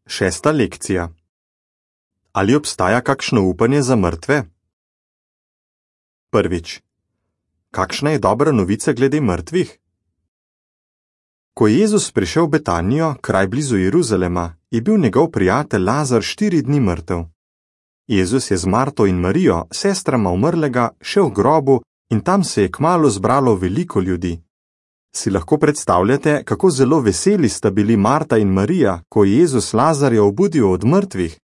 Šesta lekcija. Ali obstaja kakšno upanje za mrtve? Prvič. Kakšna je dobra novica glede mrtvih? Ko je Jezus prišel v Betanijo, kraj blizu Jeruzalema, je bil njegov prijatelj Lazar 4 dni mrtev. Jezus je z Marto in Marijo, sestrama umrlega, šel v grobu in tam se je kmalu zbralo veliko ljudi. Si lahko predstavljate, kako zelo veseli sta bili Marta in Marija, ko je Jezus Lazarja obudil od mrtvih?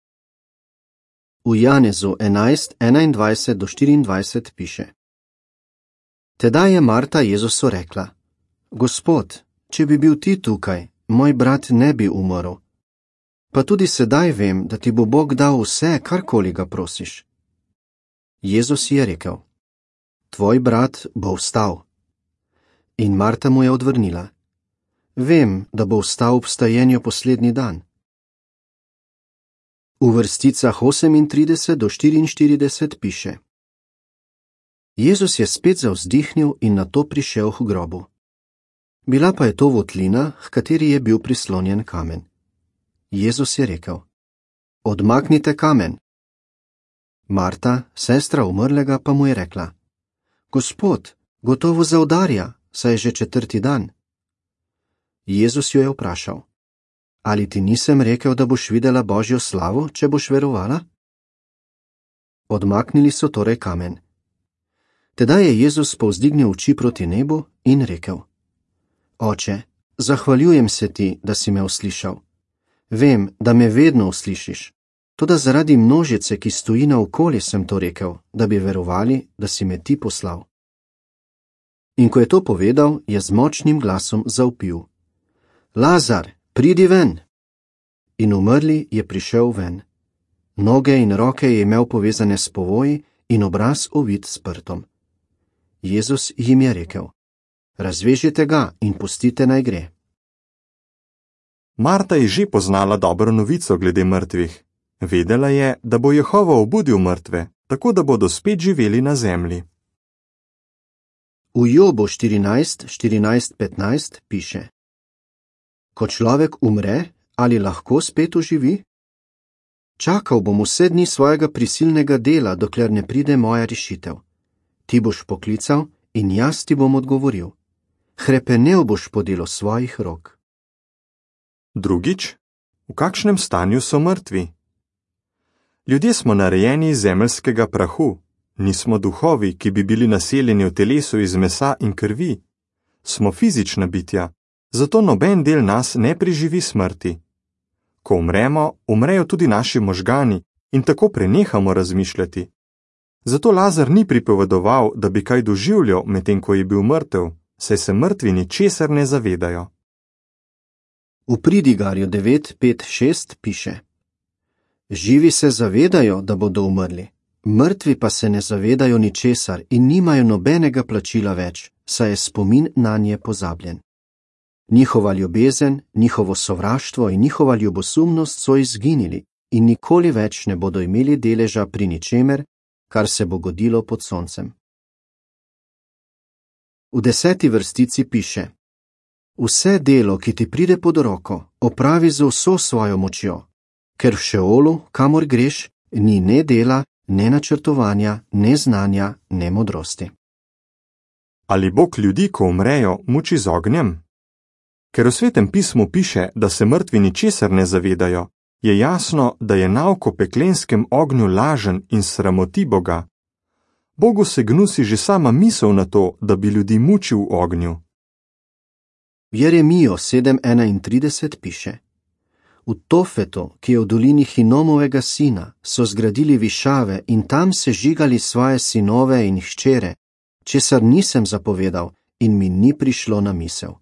V Janezu 11:21-24 piše: Tedaj je Marta Jezusu rekla: Gospod, če bi bil ti tukaj, moj brat ne bi umrl. Pa tudi sedaj vem, da ti bo Bog dal vse, karkoli ga prosiš. Jezus je rekel: Tvoj brat bo vstal. In Marta mu je odvrnila: Vem, da bo vstal ob vstajenju poslednji dan. V vrsticah 38-44 piše: Jezus je spet zavzdihnil in nato prišel k grobu. Bila pa je to votlina, h kateri je bil prislonjen kamen. Jezus je rekel: Odmaknite kamen. Marta, sestra umrlega, pa mu je rekla: Gospod, gotovo zaudarja, saj je že 4. dan. Jezus jo je vprašal: Ali ti nisem rekel, da boš videla Božjo slavo, če boš verovala? Odmaknili so torej kamen. Tedaj je Jezus povzdignil oči proti nebu in rekel: Oče, zahvaljujem se ti, da si me uslišal. Vem, da me vedno uslišiš, toda zaradi množice, ki stoji naokoli, sem to rekel, da bi verovali, da si me ti poslal. In ko je to povedal, je z močnim glasom zavpil: Lazar, pridi ven! In umrli je prišel ven. Noge in roke je imel povezane s povoji in obraz ovit s prtom. Jezus jim je rekel: Razvežite ga in pustite naj gre. Marta je že poznala dobro novico glede mrtvih. Vedela je, da bo Jehova obudil mrtve, tako da bodo spet živeli na zemlji. V Jobu 14:14-15 piše: Ko človek umre, ali lahko spet oživi? Čakal bom vse dni svojega prisilnega dela, dokler ne pride moja rešitev. Ti boš poklical in jaz ti bom odgovoril. Hrepenel boš po delu svojih rok. Drugič, v kakšnem stanju so mrtvi? Ljudje smo narejeni iz zemeljskega prahu, nismo duhovi, ki bi bili naseljeni v telesu iz mesa in krvi. Smo fizična bitja, zato noben del nas ne preživi smrti. Ko umremo, umrejo tudi naši možgani in tako prenehamo razmišljati. Zato Lazar ni pripovedoval, da bi kaj doživljal, medtem ko je bil mrtev, saj se mrtvi ničesar ne zavedajo. V Pridigarju 9:5-6 piše: Živi se zavedajo, da bodo umrli, mrtvi pa se ne zavedajo ničesar in nimajo nobenega plačila več, saj je spomin nanje pozabljen. Njihova ljubezen, njihovo sovraštvo in njihova ljubosumnost so izginili in nikoli več ne bodo imeli deleža pri ničemer, kar se bo godilo pod soncem. V 10. vrstici piše: Vse delo, ki ti pride pod roko, opravi z vso svojo močjo, ker v Šeolu, kamor greš, ni ne dela, ne načrtovanja, ne znanja, ne modrosti. Ali Bog ljudi, ko umrejo, muči z ognjem? Ker v Svetem pismu piše, da se mrtvi ničesar ne zavedajo, je jasno, da je nauk o peklenskem ognju lažen in sramoti Boga. Bogu se gnusi že sama misel na to, da bi ljudi mučil v ognju. V Jeremijo 7:31 piše: V Tofetu, ki je v dolini Hinomovega sina, so zgradili višave in tam se žigali svoje sinove in hčere, česar nisem zapovedal in mi ni prišlo na misel.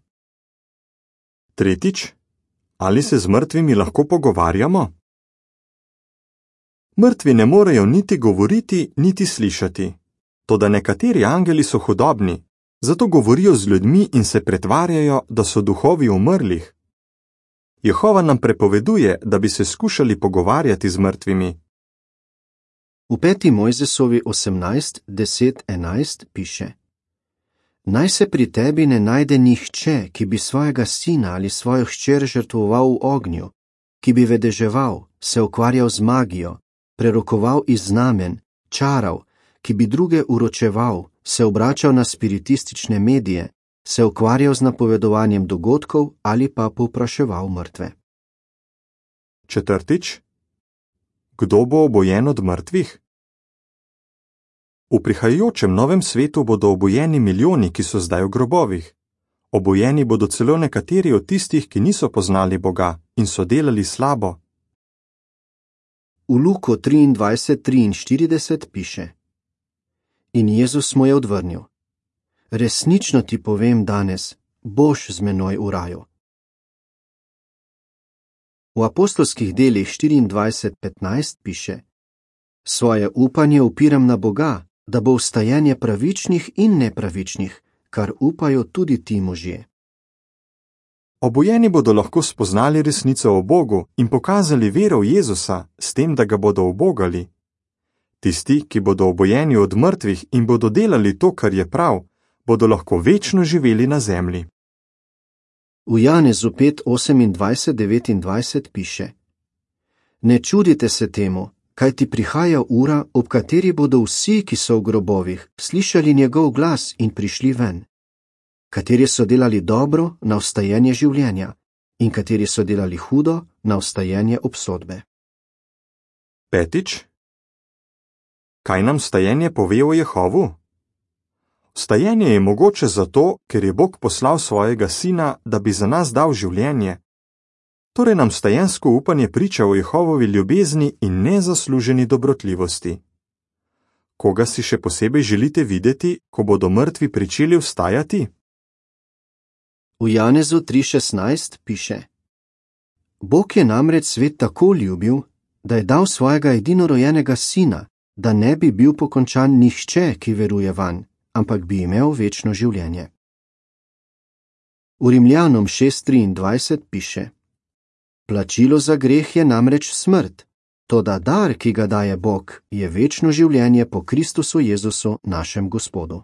Tretjič, ali se z mrtvimi lahko pogovarjamo? Mrtvi ne morejo niti govoriti, niti slišati. Toda nekateri angeli so hudobni, zato govorijo z ljudmi in se pretvarjajo, da so duhovi umrlih. Jehova nam prepoveduje, da bi se skušali pogovarjati z mrtvimi. V 5. Mojzesovi 18:10-11 piše: Naj se pri tebi ne najde nihče, ki bi svojega sina ali svojo hčer žrtvoval v ognju, ki bi vedeževal, se ukvarjal z magijo, prerokoval iz znamen, čaral, ki bi druge uročeval, se obračal na spiritistične medije, se ukvarjal z napovedovanjem dogodkov ali pa povpraševal mrtve. 4. Kdo bo obojen od mrtvih? V prihajajočem novem svetu bodo obojeni milijoni, ki so zdaj v grobovih. Obojeni bodo celo nekateri od tistih, ki niso poznali Boga in so delali slabo. V Luko 23:43 piše: In Jezus mu je odvrnil: Resnično ti povem danes, boš z menoj v raju. V apostolskih delih 24:15 piše: Svoje upanje upiram na Boga, da bo vstajenje pravičnih in nepravičnih, kar upajo tudi ti možje. Obojeni bodo lahko spoznali resnico o Bogu in pokazali vero v Jezusa s tem, da ga bodo ubogali. Tisti, ki bodo obojeni od mrtvih in bodo delali to, kar je prav, bodo lahko večno živeli na zemlji. V Janezu 5:28-29 piše: Ne čudite se temu, kajti prihaja ura, ob kateri bodo vsi, ki so v grobovih, slišali njegov glas in prišli ven. Kateri so delali dobro na vstajenje življenja in kateri so delali hudo na vstajenje obsodbe. 5. Kaj nam vstajenje pove o Jehovu? Vstajenje je mogoče zato, ker je Bog poslal svojega sina, da bi za nas dal življenje. Torej nam vstajensko upanje priča o Jehovovi ljubezni in nezasluženi dobrotljivosti. Koga si še posebej želite videti, ko bodo mrtvi pričeli vstajati? V Janezu 3:16 piše: Bog je namreč svet tako ljubil, da je dal svojega edinorojenega sina, da ne bi bil pokončan nihče, ki veruje vanj, ampak bi imel večno življenje. V Rimljanom 6:23 piše: Plačilo za greh je namreč smrt, toda dar, ki ga daje Bog, je večno življenje po Kristusu Jezusu, našem Gospodu.